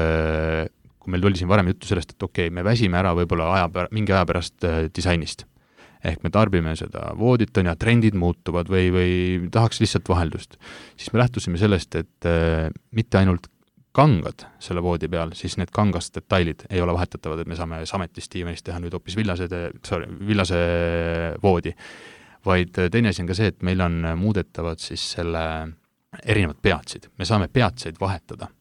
kui meil tuli siin varem juttu sellest, et okei, okay, me väsime ära võib-olla aja pär, mingi aja pärast äh, disainist. Ehk me tarbime seda voodit on ja trendid muutuvad või, või tahaks lihtsalt vaheldust. Siis me lähtusime sellest, et äh, mitte ainult kangad selle voodi peal, siis need kangast detailid ei ole vahetatavad, et me saame sametist diivanist teha nüüd hoopis villase, sorry, villase voodi. Vaid teine asi on ka see, et meil on muudetavad siis selle erinevad peatsid. Me saame peatseid vahetada.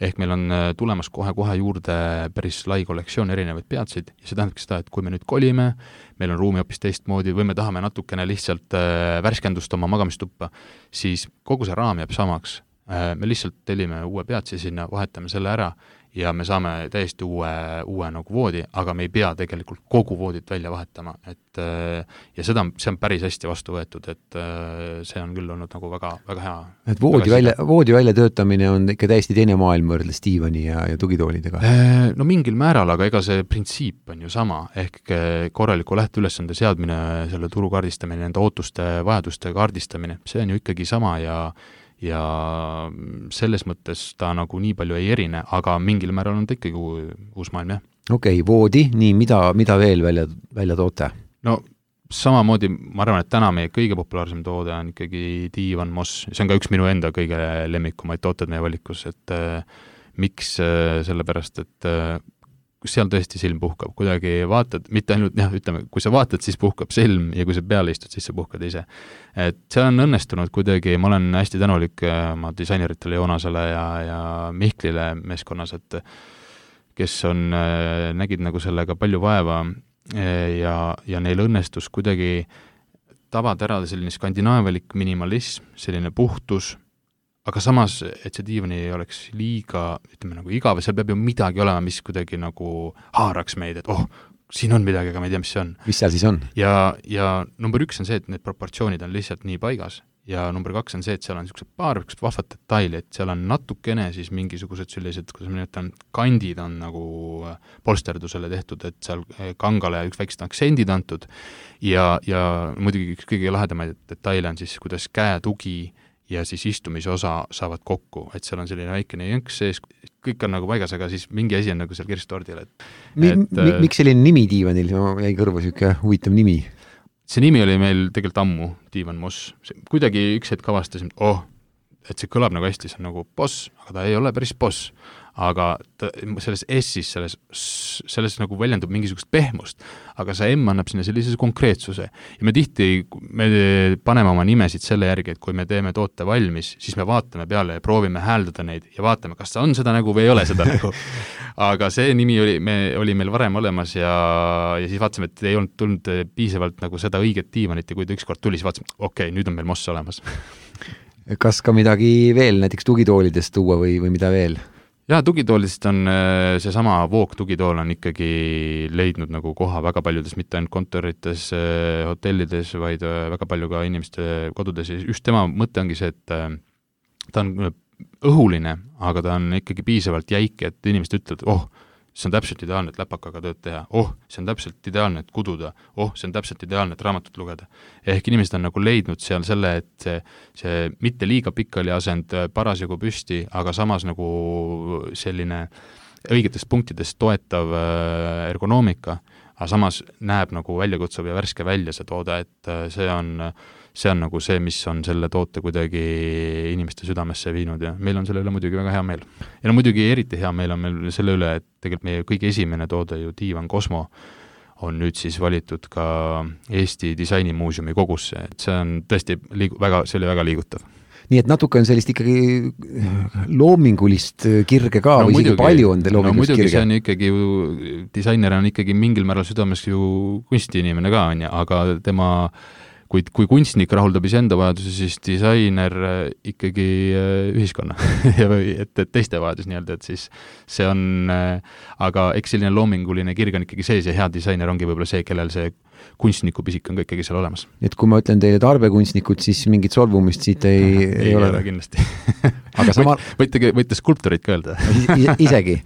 Ehk meil on tulemas kohe-kohe juurde päris lai kollektsioon erinevaid peatseid ja see tähendabki seda, et kui me nüüd kolime, meil on ruumi hoopis teistmoodi või me tahame natukene lihtsalt värskendust oma magamistuppa, siis kogu see raam jääb samaks. Me lihtsalt tellime uue peatsi sinna, vahetame selle ära ja me saame täiesti uue, uue nagu voodi, aga me ei pea tegelikult kogu voodit välja vahetama. Et, ja seda, see on päris hästi vastu võetud, et see on küll olnud nagu väga, väga hea. Et voodi, välja, voodi välja töötamine on ikka täiesti teine maailm võrreldes diivani ja, ja tugitoolidega? No mingil määral, aga ega see printsiip on ju sama, ehk korraliku lähteülesande seadmine, selle turu kaardistamine, nende ootuste, vajaduste kaardistamine, see on ju ikkagi sama ja ja selles mõttes ta nagu nii palju ei erine, aga mingil määral on ta ikkagi uus maailm, jah. Okei, okay, voodi, nii, mida, mida veel välja, välja toote? No samamoodi, ma arvan, et täna meie kõige populaarsem toode on ikkagi diivan Moss, see on ka üks minu enda kõige lemmikumaid tooted meie valikus, et äh, miks äh, sellepärast, et äh, seal tõesti silm puhkab, kuidagi vaatad, mitte ainult, jah, ütleme, kui sa vaatad, siis puhkab silm ja kui sa peale istud, siis sa puhkad ise. Et see on õnnestunud kuidagi, ma olen hästi tänulik oma disaineritele Joonasele ja, ja Mihklile meeskonnas, et kes on, nägid nagu sellega palju vaeva ja, ja neil õnnestus kuidagi tabad ära selline skandinaavialik minimalism, selline puhtus, aga samas, et see diivan ei oleks liiga, ütleme nagu igav, seal peab ju midagi olema, mis kuidagi nagu haaraks meid, et oh, siin on midagi, aga ma ei tea, mis see on. Mis seal siis on? Ja, ja number üks on see, et need proportsioonid on lihtsalt nii paigas ja number kaks on see, et seal on niisugused paar vahvat detaili, et seal on natukene siis mingisugused sellised, kuidas ma nimetan, kandid on nagu polsterdusele tehtud, et seal kangale üks väiksed aktsendid antud ja, ja muidugi üks kõige lahedamaid detaile on siis, kuidas käetugi ja siis istumise osa saavad kokku, et seal on selline väikene jõnks sees, kõik on nagu paigas, aga siis mingi asi on nagu seal kirstordil. Et, mi, et, mi, miks selline nimi diivanil, jäi kõrva siuke huvitav nimi? See nimi oli meil tegelikult ammu, Diivan Moss. Kuidagi üks hetk avastasin, oh, et see kõlab nagu hästi, see on nagu boss, aga ta ei ole päris boss. Aga ta, selles S-is, selles, selles nagu väljendub mingisugust pehmust, aga see M annab sinna sellise konkreetsuse. Ja me tihti, me paneme oma nimesid selle järgi, et kui me teeme toote valmis, siis me vaatame peale ja proovime hääldada neid ja vaatame, kas ta on seda nägu või ei ole seda nägu. Aga see nimi oli, me, oli meil varem olemas ja, ja siis vaatasime, et ei olnud tulnud piisavalt nagu seda õiget diivanit ja kui ta ükskord tuli, siis vaatasime, okei, okay, nüüd on meil Moss olemas. Kas ka midagi veel, näiteks tugitoolidest tuua või, või mida veel? Jaa, tugitoolist on seesama Voog tugitool on ikkagi leidnud nagu koha väga paljudes, mitte ainult kontorites, hotellides, vaid väga palju ka inimeste kodudes. Just tema mõte ongi see, et ta on õhuline, aga ta on ikkagi piisavalt jäik, et inimesed ütlevad, oh, see on täpselt ideaalne, et läpakaga tööd teha. Oh, see on täpselt ideaalne, et kududa. Oh, see on täpselt ideaalne, et raamatut lugeda. Ehk inimesed on nagu leidnud seal selle, et see, see mitte liiga pikali asend parasjagu püsti, aga samas nagu selline õigetest punktidest toetav ergonoomika, aga samas näeb nagu väljakutsuv ja värske välja see toode, et see on see on nagu see, mis on selle toote kuidagi inimeste südamesse viinud ja meil on selle üle muidugi väga hea meel. Ja no muidugi eriti hea meel on meil selle üle, et tegelikult meie kõige esimene toode ju Diivan Cosmo on nüüd siis valitud ka Eesti Disainimuuseumi kogusse, et see on tõesti liigu, väga, see oli väga liigutav. Nii et natuke on sellist ikkagi loomingulist kirge ka no, või muidugi, isegi palju on loomingulist no, muidugi, kirge? See on ikkagi ju, disainer on ikkagi mingil määral südames ju kunstiinimene ka, on ja, aga tema Kui, kui kunstnik rahuldab enda vajaduse, siis disainer ikkagi ühiskonna ja et, et teiste vajadus nii-öelda, et siis see on, aga eks selline loominguline kirg on ikkagi sees ja hea disainer ongi võib-olla see, kellel see kunstniku pisik on ka ikkagi seal olemas. Et kui ma ütlen teile tarbekunstnikud, siis mingit solvumist siit ei, ei, ei ole? Ei ole kindlasti. Aga sama... võite, võite skulptorit ka öelda. Isegi.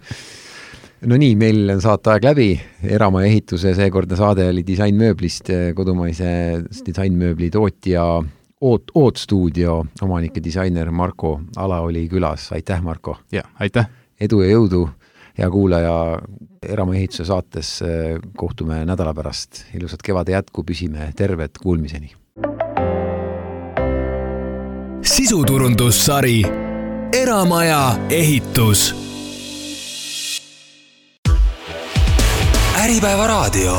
No nii, meil on saateaeg läbi, Eramaja ehituse seekordne saade oli disainmööblist, kodumaise disainmööbli tootja Oot, Oot stuudio omanike disainer Marko Ala oli külas. Aitäh, Marko! Ja, aitäh! Edu ja jõudu, hea kuulaja, Eramaja ehituse saates kohtume nädala pärast. Ilusat kevade jätku, püsime terved, kuulmiseni! Sisuturundussari Eramaja ehitus Äripäeva raadio.